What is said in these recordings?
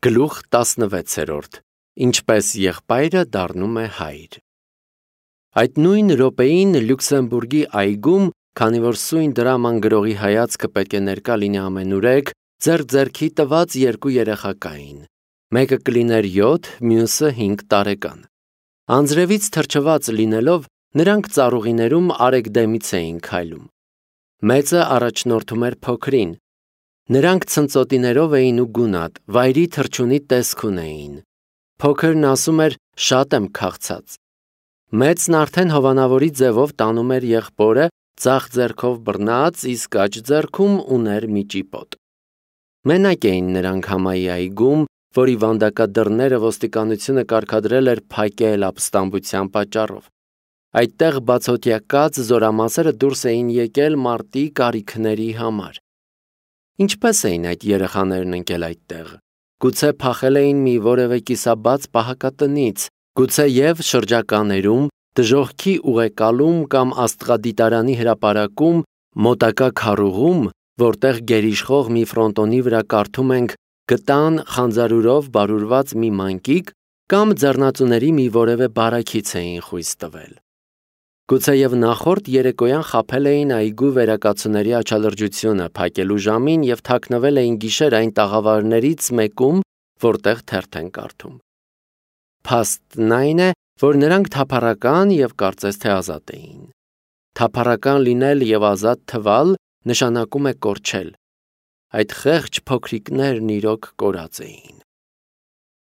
Գլուխ 16. Ինչպես եղբայրը դառնում է հայր։ Այդ նույն րոպեին Լյուքսեմբուրգի այգում, քանի որ սույն դրաման գրողի հայացքը պետք է ներկա լինի ամենուրեք, ձեռքի տված երկու երեխա կային։ Մեկը կլիներ 7, մյուսը 5 տարեկան։ Անձրևից թրջված լինելով, նրանք ծառուղիներում արեգդեմից էին քայլում։ Մեծը առաջնորդում էր փոքրին։ Նրանք ցնծոտիներով էին ու գունատ, վայրի թրջունի տեսք ունեին։ Փոքրն ասում էր. «Շատ եմ քաղցած»։ Մեծն արդեն հովանավորի ձևով տանում էր եղբորը, ձախ ձեռքով բռնած, իսկ աջ ձեռքում ուներ մի ճիպոտ։ Մենակ էին նրանք համայի այգում, որի վանդակադռները ոստիկանությունը կարգադրել էր փակել ապստամբության պատճառով։ Այդտեղ բացօթյա կաց զորամասերը դուրս էին եկել մարտի կարիքների համար։ Ինչպես էին այդ երեխաներն ընկել այդտեղ։ Գուցե փախել էին մի որևէ կիսաբաց պահակատնից, գուցե և շրջականերում, դժոխքի ուղեկալում կամ աստղադիտարանի հրապարակում, մոտակա քարուղում, որտեղ գերիշխող մի ֆրոնտոնի վրա կարդում ենք «Գտան խանձարուրով բարուրված մի մանկիկ» կամ ձեռնածուների մի որևէ բարաքից էին խույս տվել։ Գուցեև նախորդ երեկոյան խաբել էին այգու վերակացուների աչալրջությունը փակելու ժամին և թաքնվել էին գիշեր այն տաղավարներից մեկում, որտեղ թերթ են կարդում։ Փաստն այն է, որ նրանք թափառական և կարծես թե ազատ էին։ Թափառական լինել և ազատ թվալ նշանակում է կորչել։ Այդ խեղճ փոքրիկներն իրոք կորած էին։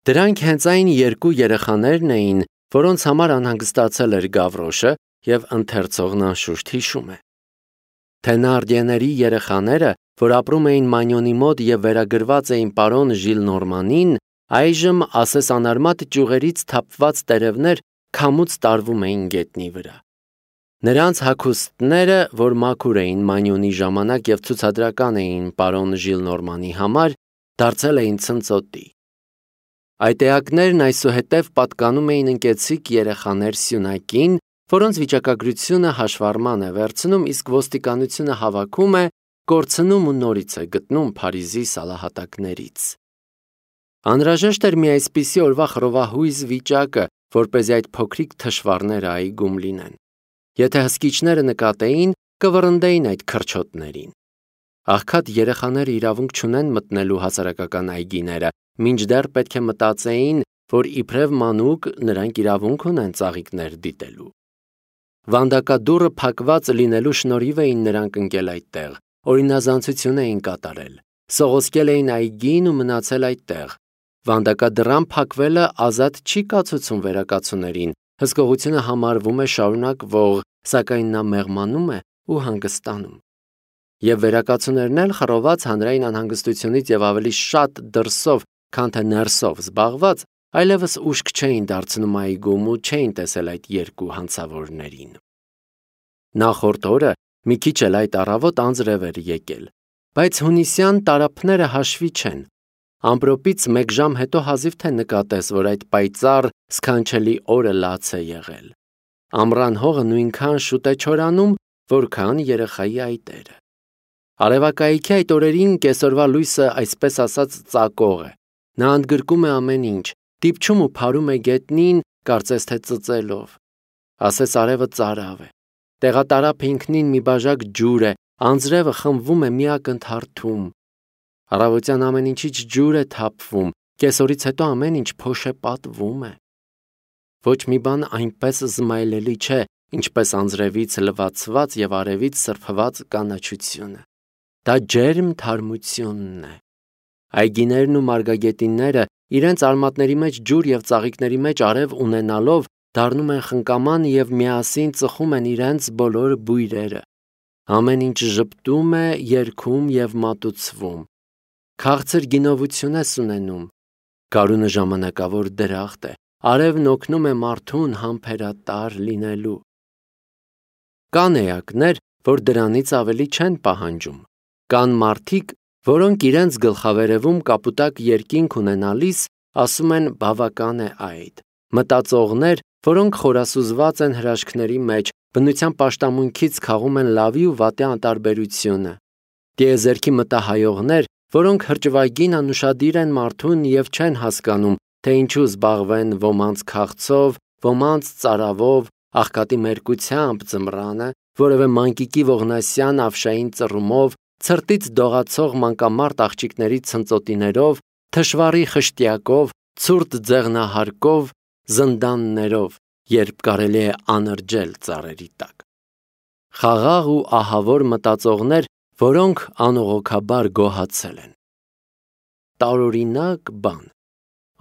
Դրանք հենց այն երկու երեխաներն էին, որոնց համար անհանգստացել էր Գավրոշը, և ընթերցողն անշուշտ հիշում է։ Թենարդիեների երեխաները, որ ապրում էին Մանյոնի մոտ և վերագրված էին պարոն Ժիլնորմանին, այժմ ասես անարմատ ճյուղերից թափված տերևներ քամուց տարվում էին գետնի վրա։ Նրանց հագուստները, որ մաքուր էին Մանյոնի ժամանակ և ցուցադրական էին պարոն Ժիլնորմանի համար, դարձել էին ցնծոտի։ Այդ էակներն այսուհետև պատկանում էին ընկեցիկ երեխաներ սյունակին, որոնց վիճակագրությունը հաշվառման է վերցնում, իսկ ոստիկանությունը հավաքում է, կորցնում ու նորից է գտնում Փարիզի սալահատակներից։ Անհրաժեշտ էր մի այսպիսի օրվա խռովահույզ վիճակը, որպեսզի այդ փոքրիկ թշվառները այգում լինեն։ Եթե հսկիչները նկատեին, կվռնդեին այդ քրչոտներին։ Աղքատ երեխաները իրավունք չունեն մտնելու հասարակական այգիները, մինչդեռ պետք է մտածեին, որ իբրև մանուկ նրանք իրավունք ունեն ծաղիկներ դիտելու։ Վանդակադուռը փակված լինելու շնորհիվ էին նրանք ընկել այդտեղ, օրինազանցություն էին կատարել, սողոսկել էին այգին ու մնացել այդտեղ։ Վանդակադռան փակվելը ազատ չի կացուցում վերակացուներին, հսկողությունը համարվում է շարունակվող, սակայն նա մեղմանում է ու հանգստանում։ Եվ վերակացուներն էլ խռոված հանրային անհանգստությունից և ավելի շատ դրսով, քան թե ներսով զբաղված, այլևս ուշք չէին դարձնում այգում ու չէին տեսել այդ երկու հանցավորներին։ Նախորդ օրը մի քիչ էլ այդ առավոտ անձրև էր եկել, բայց հունիսյան տարափները հաշվի չեն։ Ամպրոպից 1 ժամ հետո հազիվ թե նկատես, որ այդ պայծառ սքանչելի օրը լաց է եղել։ Ամռան հողը նույնքան շուտ է չորանում, որքան երեխայի այտերը։ Արևակայքի այդ օրերին կեսօրվա լույսը այսպես ասած ծակող է։ Նա ընդգրկում է ամեն ինչ, դիպչում ու փարում է գետնին, կարծես թե ծծելով։ Ասես արևը ծարավ է։ Տեղատարափ ինքնին մի բաժակ ջուր է, անձրևը խմբվում է մի ակնթարթում։ Առավոտյան ամեն ինչից ջուր է թափվում, կեսօրից հետո ամեն ինչ փոշ է պատվում է։ Ոչ մի բան այնպես զմայլելի չէ, ինչպես անձրևից լվացված և արևից սրբված կանաչությունը։ Դա ջերմ թարմությունն է։ Այգիներն ու մարգագետինները իրենց արմատների մեջ ջուր և ծաղիկների մեջ արև ունենալով դառնում են խնկաման և միասին ծխում են իրենց բոլոր բույրերը։ Ամեն ինչ ժպտում է, երգում և մատուցվում։ Քաղցր գինովություն ես ունենում։ Գարունը ժամանակավոր դրախտ է, արևն օգնում է մարդուն համբերատար լինելու։ Կան էակներ, որ դրանից ավելի չեն պահանջում։ Կան մարդիկ, որոնք իրենց գլխավերևում կապուտակ երկինք ունենալիս ասում են բավական է այդ։ Մտածողներ, որոնք խորասուզված են հրաշքների մեջ, բնության պաշտամունքից քաղում են լավի ու վատի անտարբերությունը։ Տիեզերքի մտահայողներ, որոնք հրճվագին անուշադիր են մարդուն եւ չեն հասկանում, թե ինչու զբաղվեն ոմանց քաղցով, ոմանց ծարավով, աղքատի մերկությամբ ձմռանը, որևէ մանկիկի ողնասյան ավշային ծռումով, ցրտից դողացող մանկամարտ աղջիկների ցնծոտիներով, թշվառի խշտյակով, ցուրտ ձեղնահարկով, զնդաններով, երբ կարելի է անրջել ծառերի տակ։ Խաղաղ ու ահավոր մտածողներ, որոնք անողոքաբար գոհացել են։ Տարօրինակ բան։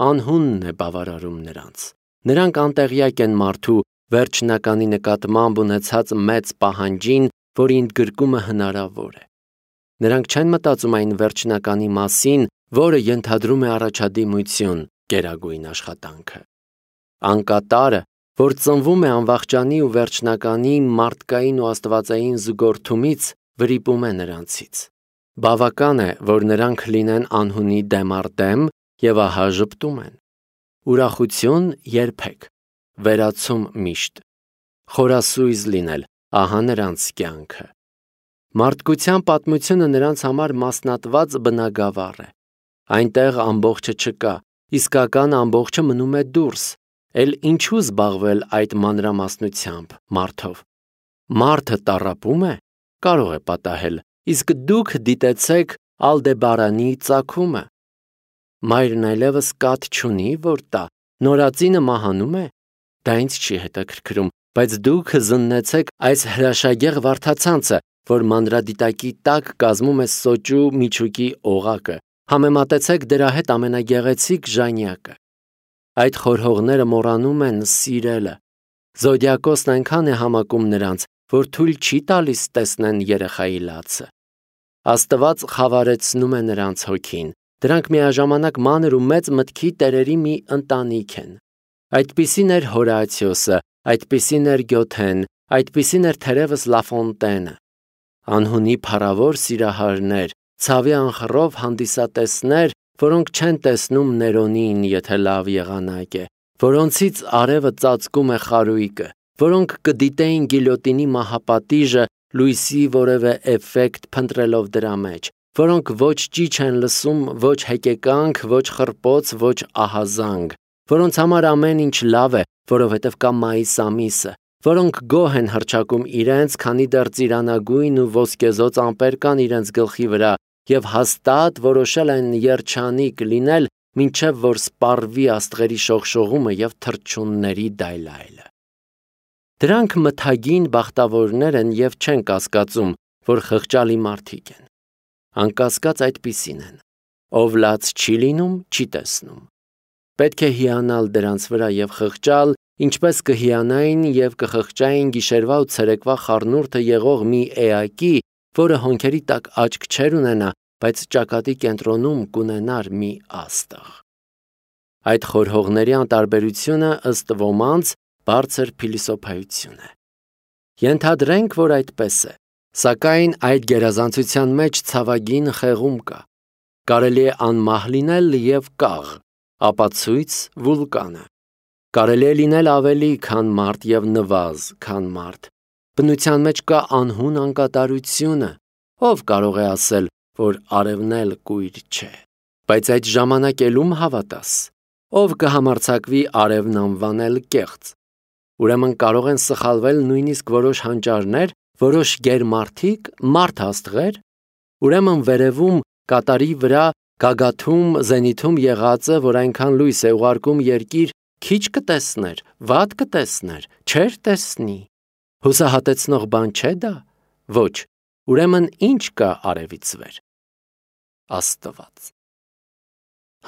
Անհունն է բավարարում նրանց։ Նրանք անտեղյակ են մարդու վերջնականի նկատմամբ ունեցած մեծ պահանջին, որի ընդգրկումը հնարավոր է։ Նրանք չեն մտածում այն վերջնականի մասին, որը ենթադրում է առաջադիմություն, գերագույն աշխատանքը։ Անկատարը, որ ծնվում է անվախճանի ու վերջնականի մարդկային ու աստվածային զուգորդումից, վրիպում է նրանցից։ Բավական է, որ նրանք լինեն անհունի դեմ առ դեմ և ահա ժպտում են։ Ուրախություն երբեք, վերացում միշտ։ Խորասույզ լինել, ահա նրանց կյանքը։ Մարդկության պատմությունը նրանց համար մասնատված բնագավառ է։ Այնտեղ ամբողջը չկա, իսկական ամբողջը մնում է դուրս։ Էլ ինչու զբաղվել այդ մանրամասնությամբ մարդով։ Մարդը տառապում է, կարող է պատահել, իսկ դուք դիտեցեք Ալդեբարանի ծագումը։ Մայրն այլևս կաթ չունի, որ տա, նորածինը մահանում է, դա ինձ չի հետաքրքրում, բայց դուք զննեցեք այս հրաշագեղ վարդացանցը, որ մանրադիտակի տակ կազմում է սոճու միջուկի օղակը, համեմատեցեք դրա հետ ամենագեղեցիկ ժանյակը։ Այդ խորհողները մոռանում են սիրելը։ Զոդիակոսն այնքան է համակում նրանց, որ թույլ չի տալիս տեսնեն երեխայի լացը։ Աստված խավարեցնում է նրանց հոգին։ Դրանք միաժամանակ մանր ու մեծ մտքի տերերի մի ընտանիք են։ Այդպիսին էր Հորացիոսը, այդպիսին էր Գյոթեն, այդպիսին էր թերևս Լաֆոնտենը։ Անհունի փառավոր սիրահարներ, ցավի անխռով հանդիսատեսներ, որոնք չեն տեսնում Ներոնին, եթե լավ եղանակ է, որոնցից արևը ծածկում է խարույկը, որոնք կդիտեին գիլյոտինի մահապատիժը լույսի որևէ էֆեկտ փնտրելով դրա մեջ, որոնք ոչ ճիչ են լսում, ոչ հեկեկանք, ոչ խռպոց, ոչ ահազանգ, որոնց համար ամեն ինչ լավ է, որովհետև կա մայիս ամիսը, որոնք գոհ են հռչակում իրենց, քանի դեռ ծիրանագույն ու ոսկեզոծ ամպեր կան իրենց գլխի վրա, և հաստատ որոշել են երջանիկ լինել, մինչև որ սպառվի աստղերի շողշողումը և թռչունների դայլայլը։ Դրանք մթագին բախտավորներ են և չեն կասկածում, որ խղճալի մարդիկ են։ Անկասկած այդպիսին են։ Ով լաց չի լինում, չի տեսնում։ Պետք է հիանալ դրանց վրա և խղճալ, ինչպես կհիանային և կխղճային գիշերվա ու ցերեկվա խառնուրդը եղող մի էակի, որը հոնքերի տակ աչք չեր ունենա, բայց ճակատի կենտրոնում կունենար մի աստղ։ Այդ խորհողների անտարբերությունը ըստ ոմանց բարձր փիլիսոփայություն է։ Ենթադրենք, որ այդպես է, սակայն այդ գերազանցության մեջ ցավագին խեղում կա։ Կարելի է անմահ լինել և կաղ, ապացույց վուլկանը։ Կարելի է լինել ավելի, քան մարդ և նվազ, քան մարդ։ Բնության մեջ կա անհուն անկատարությունը, ով կարող է ասել, որ արևն էլ կույր չէ։ Բայց այդ ժամանակելում հավատաս, ով կհամարձակվի արևն անվանել կեղծ։ Ուրեմն կարող են սխալվել նույնիսկ որոշ հանճարներ, որոշ գերմարդիկ, մարդ աստղեր։ Ուրեմն վերևում կատարի վրա գագաթում զենիթում եղածը, որ այնքան լույս է ուղարկում երկիր, քիչ կտեսներ, վատ կտեսներ, չէր տեսնի։ Հուսահատեցնող բան չէ դա։ Ոչ, ուրեմն ինչ կա արևից վեր։ Աստված։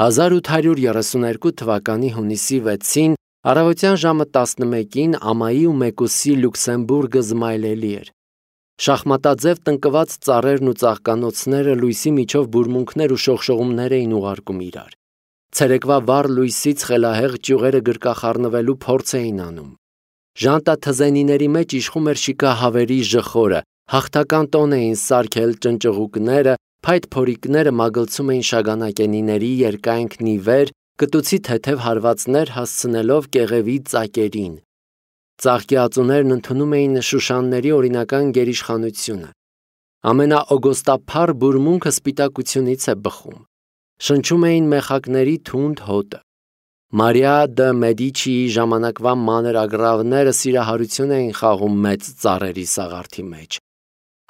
1832 թվականի հունիսի 6-ին առավոտյան ժամը 11-ին ամայի ու մեկուսի Լյուքսեմբուրգը զմայլելի էր։ Շախմատաձև տնկված ծառերն ու ծաղկանոցները լույսի միջով բուրմունքներ ու շողշողումներ էին ուղարկում իրար։ Ցերեկվա վառ լույսից խելահեղ ճյուղերը գրկախառնվելու փորձ էին անում։ Ժանտաթզենիների մեջ իշխում էր շիկահավերի ժխորը, հաղթական տոն էին սարքել ճնճղուկները, փայտ փորիկները մագլցում էին շագանակենիների երկայնքն ի վեր, կտուցի թեթև հարվածներ հասցնելով կեղևի ծակերին։ Ծաղկի ածուներն ընդունում էին Շուշանների օրինական գերիշխանությունը։ Ամենաօգոստափառ բուրմունքը սպիտակությունից է բխում։ Շնչում էին մեխակների թունդ հոտը։ Մարիա դը Մեդիչիի ժամանակվա մանր ագռավները սիրահարություն էին խաղում մեծ ծառերի սաղարթի մեջ։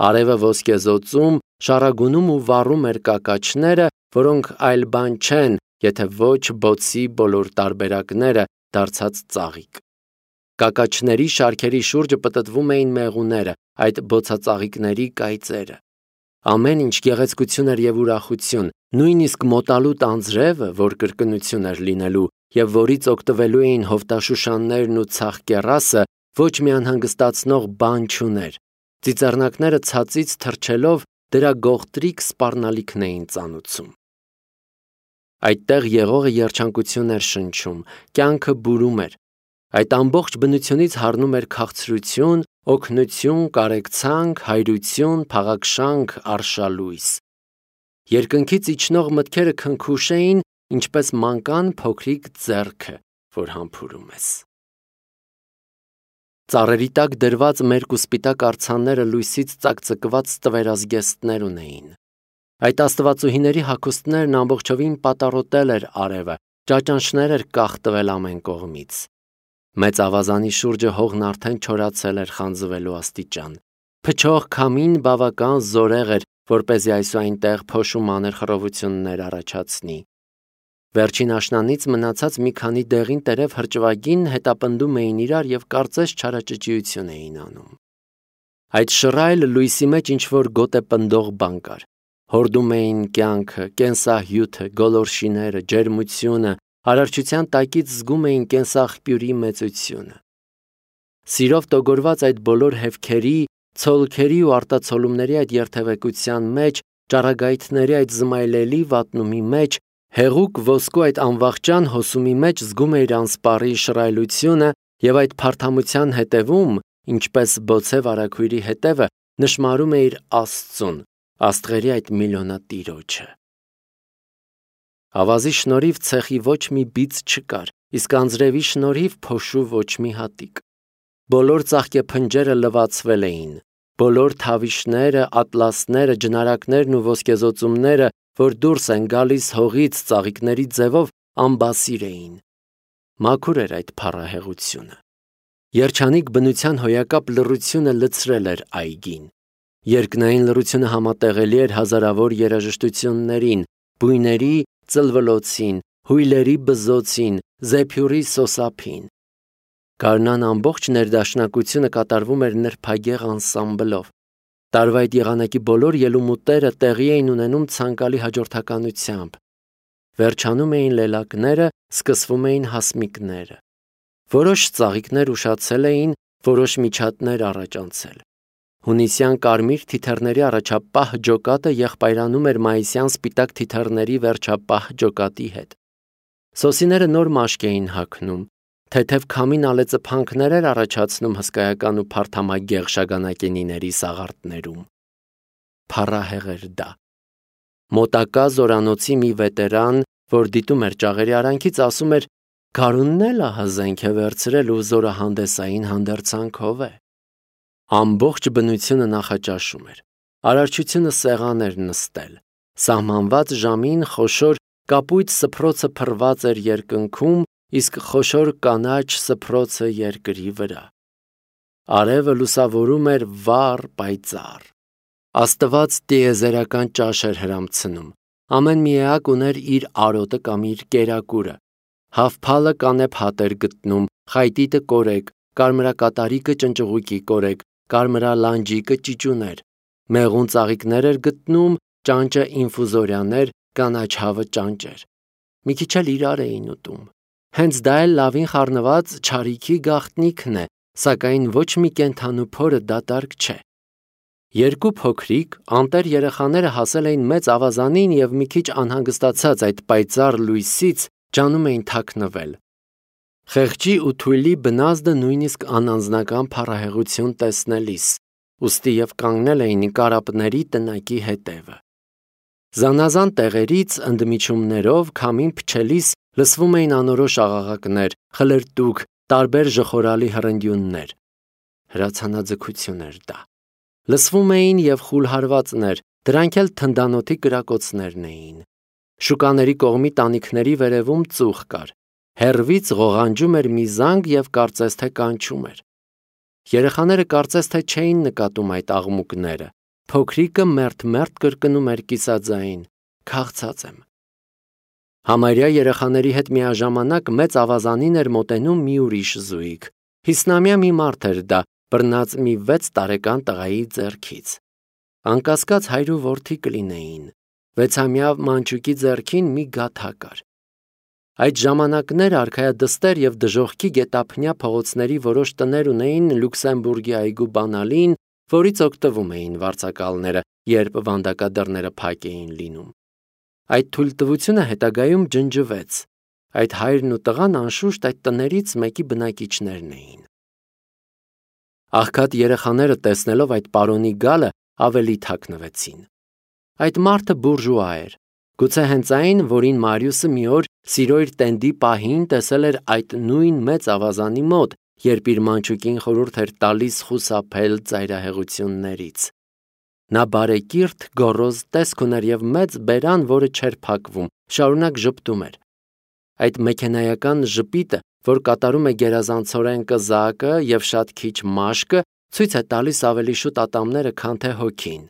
Արևը ոսկեզօծում, շառագունում ու վառում էր կակաչները, որոնք այլ բան չեն, եթե ոչ բոցի բոլոր տարբերակները դարձած ծաղիկ։ Կակաչների շարքերի շուրջը պտտվում էին մեղուները, այդ բոցածաղիկների կայծերը։ Ամեն ինչ գեղեցկություն էր և ուրախություն, նույնիսկ մոտալուտ անձրևը, որ կրկնություն էր լինելու և որից օգտվելու էին հովտաշուշաններն ու ցախկեռասը, ոչ մի անհանգստացնող բան չուներ։ Ծիծեռնակները ցածից թռչելով դրա գողտրիկ սպառնալիքն էին ծանուցում։ Այդտեղ եղողը երջանկություն էր շնչում, կյանքը բուրում էր։ Այդ ամբողջ բնությունից հառնում էր քաղցրություն, օգնություն, կարեկցանք, հայրություն, փաղաքշանք, արշալույս։ Երկնքից իջնող մտքերը քնքուշ էին, ինչպես մանկան փոքրիկ ձեռքը, որ համբուրում ես։ Ծառերի տակ դրված մերկ ու սպիտակ արձանները լույսից ծակծկված տվերազգեստներ ունեին։ Այդ աստվածուհիների հագուստներն ամբողջովին պատառոտել էր արևը, ճաճանշներ էր կախտվել ամեն կողմից։ Մեծ ավազանի շուրջը հողն արդեն չորացել էր խանձվելու աստիճան։ Փչող քամին բավական զորեղ էր, որպեսզի այս ու այնտեղ փոշու մանր խռովություններ առաջացնի։ Վերջին աշնանից մնացած մի քանի դեղին տերև հրճվագին հետապնդում էին իրար և կարծես չարաճճիություն էին անում։ Այդ շռայլ լույսի մեջ ինչ-որ գոտեպնդող բան կար։ Հորդում էին կյանքը, կենսահյութը, գոլորշիները, ջերմությունը, արարչության տակից զգում էին կենսաղբյուրի մեծությունը։ Սիրով տոգորված այդ բոլոր հևքերի, ցոլքերի ու արտացոլումների այդ երթևեկության մեջ, ճառագայթների այդ զմայլելի վատնումի մեջ, հեղուկ ոսկու այդ անվախճան հոսումի մեջ զգում էիր անսպառի շռայլությունը և այդ փարթամության հետևում, ինչպես բոցե վարագույրի հետևը, նշմարում էիր Աստծուն, աստղերի այդ միլիոնատիրոջը։ Ավազի շնորհիվ ցեխի ոչ մի բիծ չկար, իսկ անձրևի շնորհիվ փոշու ոչ մի հատիկ։ Բոլոր ծաղկեփնջերը լվացվել էին, բոլոր թավիշները, ատլասները, ջնարակներն ու ոսկեզօծումները, որ դուրս են գալիս հողից ծաղիկների ձևով, անբասիր էին։ Մաքուր էր այդ փառահեղությունը։ Երջանիկ բնության հոյակապ լռությունը լցրել էր այգին։ Երկնային լռությունը համատեղելի էր հազարավոր երաժշտություններին, բույների ծլվլոցին, հույլերի բզզոցին, զեփյուռի սոսափին։ Գարնան ամբողջ ներդաշնակությունը կատարվում էր նրբագեղ անսամբլով։ Տարվա այդ եղանակի բոլոր ելումուտերը տեղի էին ունենում ցանկալի հաջորդականությամբ։ Վերջանում էին լելակները, սկսվում էին հասմիկները։ Որոշ ծաղիկներ ուշացել էին, որոշ միջատներ առաջանցել։ Հունիսյան կարմիր թիթեռների առաջապահ ջոկատը եղբայրանում էր մայիսյան սպիտակ թիթեռների վերջապահ ջոկատի հետ։ Սոսիները նոր մաշկ էին հագնում, թեթև քամին ալեծփանքներ էր առաջացնում հսկայական ու փարթամագեղ շագանակենիների սաղարթներում։ Փառահեղ էր դա։ Մոտակա զորանոցի մի վետերան, որ դիտում էր ճաղերի արանքից, ասում էր. «Գարունն էլ ահա զենք է վերցրել ու զորահանդեսային հանդերձանքով է»։ Ամբողջ բնությունը նախաճաշում էր։ Արարչությունը սեղան էր նստել։ Սահմանված ժամին խոշոր կապույտ սփռոցը փռված էր երկնքում, իսկ խոշոր կանաչ սփռոցը երկրի վրա։ Արևը լուսավորում էր վառ, պայծառ։ Աստված տիեզերական ճաշ էր հրամցնում։ Ամեն մի էակ ուներ իր արոտը կամ իր կերակուրը։ Հավփալը կանեփ էր գտնում, խայտիտը կորեկ, կարմրակատարիկը ճնճղուկի կորեկ, կարմրալանջիկը ճիճուներ, մեղուն ծաղիկներ էր գտնում, ճանճը ինֆուզորիաներ, կանաչ հավը ճանճեր։ Մի քիչ էլ իրար էին ուտում։ Հենց դա էլ լավին խառնված չարիքի գաղտնիքն է, սակայն ոչ մի կենդանու փորը դատարկ չէ։ Երկու փոքրիկ, անտեր երեխաները հասել էին մեծ ավազանին և մի քիչ անհանգստացած այդ պայծառ լույսից ջանում էին թաքնվել։ Խեղճի ու թույլի բնազդը նույնիսկ անանձնական փառահեղություն տեսնելիս, ուստի և կանգնել էին կարապների տնակի հետևը։ Զանազան տեղերից ընդմիջումներով քամին փչելիս լսվում էին անորոշ աղաղակներ, խլրտուք, տարբեր ժխորալի հռնդյուններ։ Հրացանաձգություն էր դա։ Լսվում էին և խուլհարվածներ, դրանք էլ թնդանոթի կրակոցներն էին։ Շուկաների կողմի տանիքների վերևում ծուխ կար։ Հեռվից ղողանջում էր մի զանգ և կարծես թե կանչում էր։ Երեխաները կարծես թե չէին նկատում այդ աղմուկները։ Փոքրիկը մերթ-մերթ կրկնում էր կիսաձայն. «Քաղցած եմ»։ Համարյա երեխաների հետ միաժամանակ մեծ ավազանին էր մոտենում մի ուրիշ զույգ։ 50-ամյա մի մարդ էր դա, բռնած մի 6 տարեկան տղայի ձեռքից։ Անկասկած հայր ու որդի կլինեին։ 6-ամյա մանչուկի ձեռքին մի գաթա կար։ Այդ ժամանակներ արքայադստեր և դժոխքի գետափնյա փողոցների որոշ տներ ունեին Լյուքսեմբուրգի այգու բանալին, որից օգտվում էին վարձակալները, երբ վանդակադռները փակ էին լինում։ Այդ թույլտվությունը հետագայում ջնջվեց։ Այդ հայրն ու տղան անշուշտ այդ տներից մեկի բնակիչներն էին։ Աղքատ երեխաները տեսնելով այդ պարոնի գալը ավելի թաքնվեցին։ Այդ մարդը բուրժուա էր։ Գուցե հենց այն, որին Մարիուսը մի օր սիրո իր տենդի պահին տեսել էր այդ նույն մեծ ավազանի մոտ, երբ իր մանչուկին խորհուրդ էր տալիս խուսափել ծայրահեղություններից։ Նա բարեկիրթ, գոռոզ տեսք ուներ և մեծ բերան, որը չէր փակվում, շարունակ ժպտում էր։ Այդ մեքենայական ժպիտը, որ կատարում է գերազանցորեն կզակը և շատ քիչ մաշկը, ցույց է տալիս ավելի շուտ ատամները, քան թե հոգին։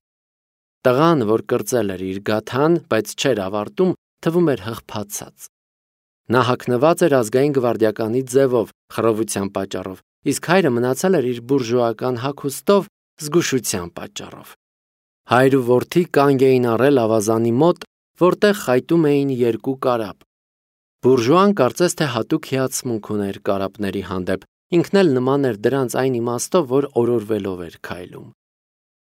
Տղան, որ կրծել էր իր գաթան, բայց չէր ավարտում, թվում էր հղփացած։ Նա հագնված էր ազգային գվարդիականի ձևով, խռովության պատճառով, իսկ հայրը մնացել էր իր բուրժուական հագուստով, զգուշության պատճառով։ Հայր ու որդի կանգ էին առել ավազանի մոտ, որտեղ խայտում էին երկու կարապ։ Բուրժուան կարծես թե հատուկ հիացմունք ուներ կարապների հանդեպ, ինքն էլ նման էր դրանց այն իմաստով, որ օրորվելով էր քայլում։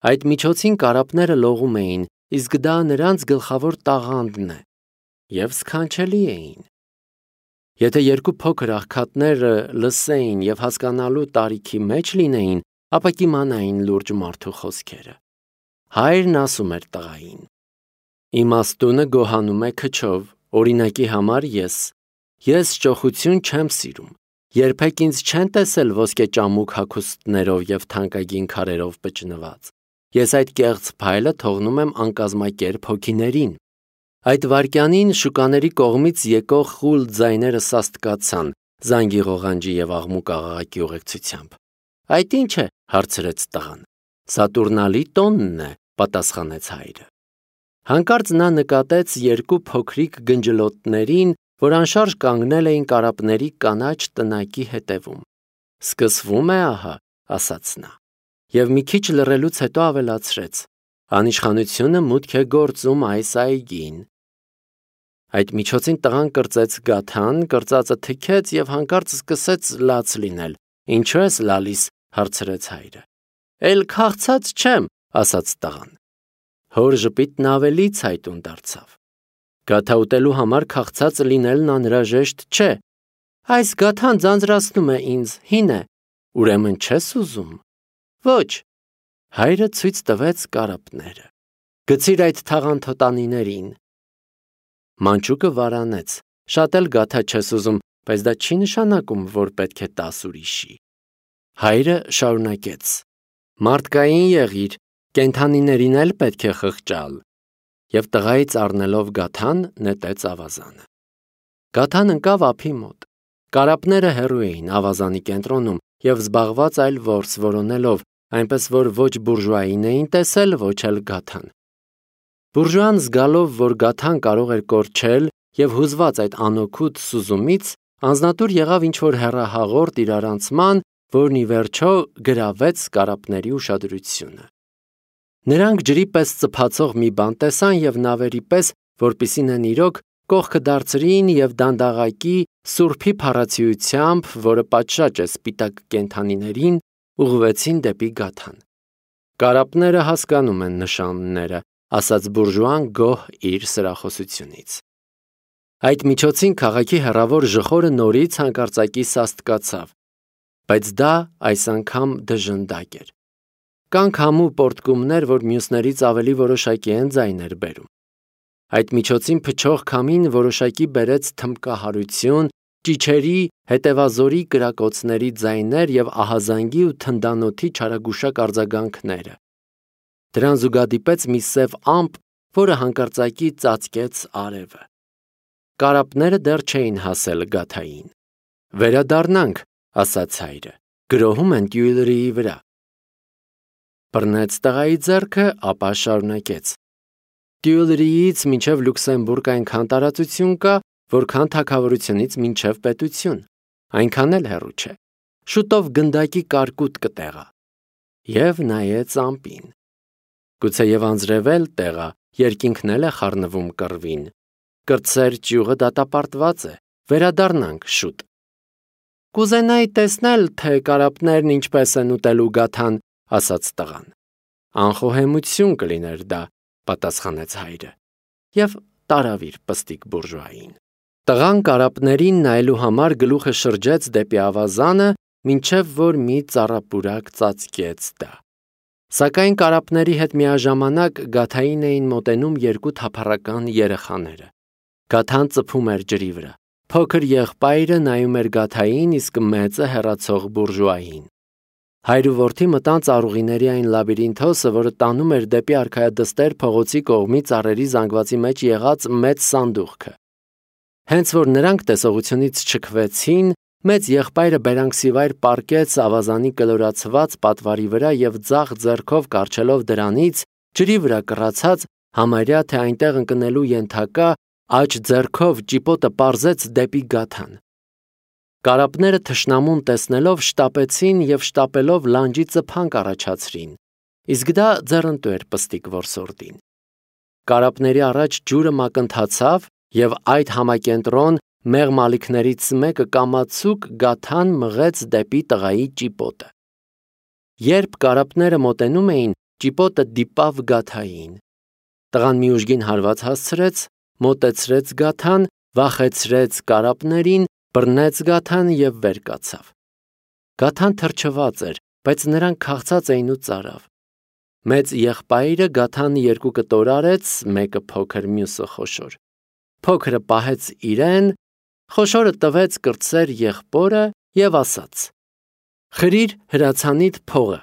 Այդ միջոցին կարապները լողում էին, իսկ դա նրանց գլխավոր տաղանդն է, և սքանչելի էին։ Եթե երկու փոքր աղքատները լսեին և հասկանալու տարիքի մեջ լինեին, ապա կիմանային լուրջ մարդու խոսքերը։ Հայրն ասում էր տղային. «Իմաստունը գոհանում է քչով, օրինակի համար ես ճոխություն չեմ սիրում, երբեք ինձ չեն տեսել ոսկեճամուկ հագուստներով և թանկագին քարերով պճնված։ Ես այդ կեղծ փայլը թողնում եմ անկազմակերպ հոգիներին»։ Այդ վայրկյանին շուկաների կողմից եկող խուլ ձայները սաստկացան, զանգի ղողանջի և աղմուկ աղաղակի ուղեկցությամբ։ «Այդ ի՞նչ է», հարցրեց տղան։ «Սատուրնալի տոնն է», պատասխանեց հայրը։ Հանկարծ նա նկատեց երկու փոքրիկ գնջլոտներին, որ անշարժ կանգնել էին կարապների կանաչ տնակի հետևում։ «Սկսվում է ահա», ասաց նա, և մի քիչ լռելուց հետո ավելացրեց. «Անիշխանությունը մուտք է գործում այս այգին»։ Այդ միջոցին տղան կրծեց գաթան, կրծածը թքեց և հանկարծ սկսեց լաց լինել։ «Ինչո՞ւ ես լալիս», հարցրեց հայրը։ «Էլ քաղցած չեմ», ասաց տղան։ Հոր ժպիտն ավելի ցայտուն դարձավ։ «Գաթա ուտելու համար քաղցած լինելն անհրաժեշտ չէ»։ «Այս գաթան ձանձրացնում է ինձ, հին է»։ «Ուրեմն չես ուզում»։ «Ոչ»։ Հայրը ցույց տվեց կարապները։ «Գցիր այդ թաղանթոտանիներին»։ Մանչուկը վարանեց։ «Շատ էլ գաթա չես ուզում, բայց դա չի նշանակում, որ պետք է տաս ուրիշի»։ Հայրը շարունակեց. «Մարդկային եղիր, կենդանիներին էլ պետք է խղճալ»։ Եվ տղայից առնելով գաթան, նետեց ավազանը։ Գաթան ընկավ ափի մոտ։ Կարապները հեռու էին ավազանի կենտրոնում և զբաղված այլ որս որոնելով, այնպես որ ոչ բուրժուային էին տեսել, ոչ էլ գաթան։ Բուրժուան զգալով, որ գաթան կարող էր կորչել և հուզված այդ անօգուտ սուզումից, անձնատուր եղավ ինչ-որ հեռահաղորդ իրարանցման, որն ի վերջո գրավեց կարապների ուշադրությունը։ Նրանք ջրի պես ծփացող մի բան տեսան և նավերի պես, որպեսզի նեն իրոք, կողքը դարձրին և դանդաղակի սուրբի փառացիությամբ, որը պատշաճ է սպիտակ կենդանիներին, ուղղվեցին դեպի գաթան։ «Կարապները հասկանում են նշանները», ասաց բուրժուան գոհ իր սրախոսությունից։ Այդ միջոցին քաղաքի հեռավոր ժխորը նորից հանկարծակի սաստկացավ, բայց դա այս անգամ դժնդակ էր։ Կան քամու պոռթկումներ, որ մյուսներից ավելի որոշակի են ձայներ բերում։ Այդ միջոցին փչող քամին որոշակի բերեց թմբկահարություն, ճիչերի, հետևազորի կրակոցների ձայներ և ահազանգի ու թնդանոթի չարագուշակ արձագանքները։ Դրան զուգադիպեց մի սև ամպ, որը հանկարծակի ծածկեց արևը։ Կարապները դեռ չէին հասել գաթային։ «Վերադառնանք», ասաց հայրը, «գրոհում են Տյուիլրիի վրա»։ Բռնեց տղայի ձեռքը, ապա շարունակեց. «Տյուիլրիից մինչև Լյուքսեմբուրգ այնքան տարածություն կա, որքան թագավորությունից մինչև պետություն, այնքան էլ հեռու չէ։ Շուտով գնդակի կարկուտ կտեղա»։ Եվ նայեց ամպին։ Գուցեև անձրևել տեղա, երկինքն էլ է խառնվում կռվին։ Կրտսեր ճյուղը դատապարտված է, վերադառնանք շուտ։ «Կուզենայի տեսնել, թե կարապներն ինչպես են ուտելու գաթան», ասաց տղան։ «Անխոհեմություն կլիներ դա», պատասխանեց հայրը, և տարավ իր պստիկ բուրժուային։ Տղան կարապներին նայելու համար գլուխը շրջեց դեպի ավազանը, մինչև որ մի ծառապուրակ ծածկեց դա։ Սակայն կարապների հետ միաժամանակ գաթային էին մոտենում երկու թափառական երեխաները։ Գաթան ծփում էր ջրի վրա։ Փոքր եղբայրը նայում էր գաթային, իսկ մեծը հեռացող բուրժուային։ Հայր ու որդի մտան ծառուղիների այն լաբիրինթոսը, որը տանում էր դեպի արքայադստեր փողոցի կողմի ծառերի զանգվածի մեջ եղած մեծ սանդուղքը։ Հենց որ նրանք տեսողությունից չքվեցին, մեծ եղբայրը բերանքսիվայր պառկեց ավազանի կլորացված պատվարի վրա և ձախ ձեռքով կառչելով դրանից, ջրի վրա կռացած, համարյա թե այնտեղ ընկնելու ենթակա, աջ ձեռքով ճիպոտը պարզեց դեպի գաթան։ Կարապները թշնամուն տեսնելով շտապեցին և շտապելով լանջի ծփանք առաջացրին, իսկ դա ձեռնտու էր պստիկ որսորդին։ Կարապների առաջ ջուրը մակընթացավ և այդ համակենտրոն մեղմ ալիքներից մեկը կամացուկ գաթան մղեց դեպի տղայի ճիպոտը։ Երբ կարապները մոտենում էին, ճիպոտը դիպավ գաթային։ Տղան մի ուժգին հարված հասցրեց, մոտեցրեց գաթան, վախեցրեց կարապներին, բռնեց գաթան և վեր կացավ։ Գաթան թրջված էր, բայց նրանք քաղցած էին ու ծարավ։ Մեծ եղբայրը գաթան երկու կտոր արեց, մեկը փոքր, մյուսը խոշոր։ Փոքրը պահեց իրեն, խոշորը տվեց կրտսեր եղբորը և ասաց. «Խրիր հրացանիդ փողը»։